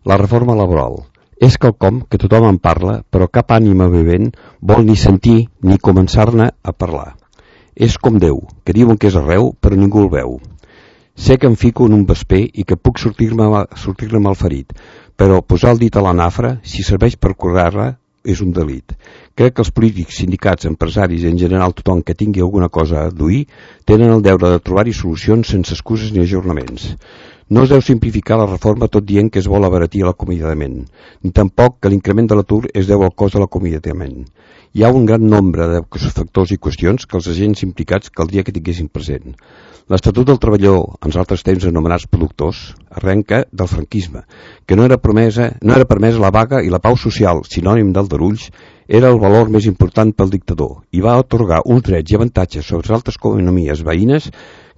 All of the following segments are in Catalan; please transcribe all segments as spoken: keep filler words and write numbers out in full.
La reforma laboral. És quelcom que tothom en parla, però cap ànima vivent vol ni sentir ni començar-ne a parlar. És com Déu, que diuen que és arreu, però ningú el veu. Sé que em fico en un vesper i que puc sortir-me sortir-ne malferit, però posar el dit a la nafra, si serveix per curar-la, és un delit. Crec que els polítics, sindicats, empresaris i en general tothom que tingui alguna cosa a duir tenen el deure de trobar-hi solucions sense excuses ni ajornaments. No es deu simplificar la reforma tot dient que es vol abaratir l'acomiadament, ni tampoc que l'increment de l'atur es deu al cost de l'acomiadament. Hi ha un gran nombre de factors i qüestions que els agents implicats caldria que tinguessin present. L'Estatut del Treballador, en altres temps anomenats productors, arrenca del franquisme, que no era, promesa, no era permesa la vaga i la pau social, sinònim d'aldarulls, era el valor més important pel dictador i va atorgar uns drets i avantatges sobre altres economies veïnes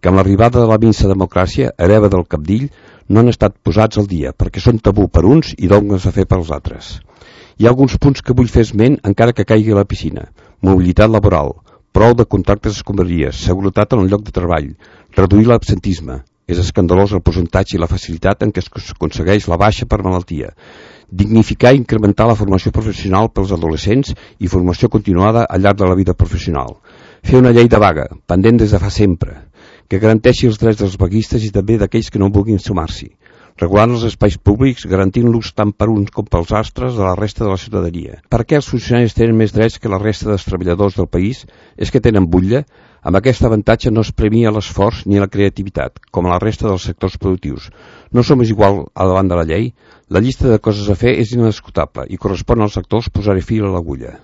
que amb l'arribada de la minsa democràcia, hereva del cabdill, no han estat posats al dia, perquè són tabú per uns i dogmes a fer pels altres. Hi ha alguns punts que vull fer esment encara que caigui a la piscina. Mobilitat laboral, prou de contractes d'escombraries, seguretat en el lloc de treball, reduir l'absentisme. És escandalós el percentatge i la facilitat en què es aconsegueix la baixa per malaltia. Dignificar i incrementar la formació professional pels adolescents i formació continuada al llarg de la vida professional. Fer una llei de vaga, pendent des de fa sempre, que garanteixi els drets dels vaguistes i també d'aquells que no vulguin sumar-s'hi, regulant els espais públics, garantint-los tant per uns com pels astres de la resta de la ciutadania. Per què els funcionaris tenen més drets que la resta dels treballadors del país? És que tenen butlla? Amb aquest avantatge no es premia l'esforç ni la creativitat, com a la resta dels sectors productius. No som igual a davant de la llei? La llista de coses a fer és inescutable i correspon als sectors posar-hi fil a l'agulla.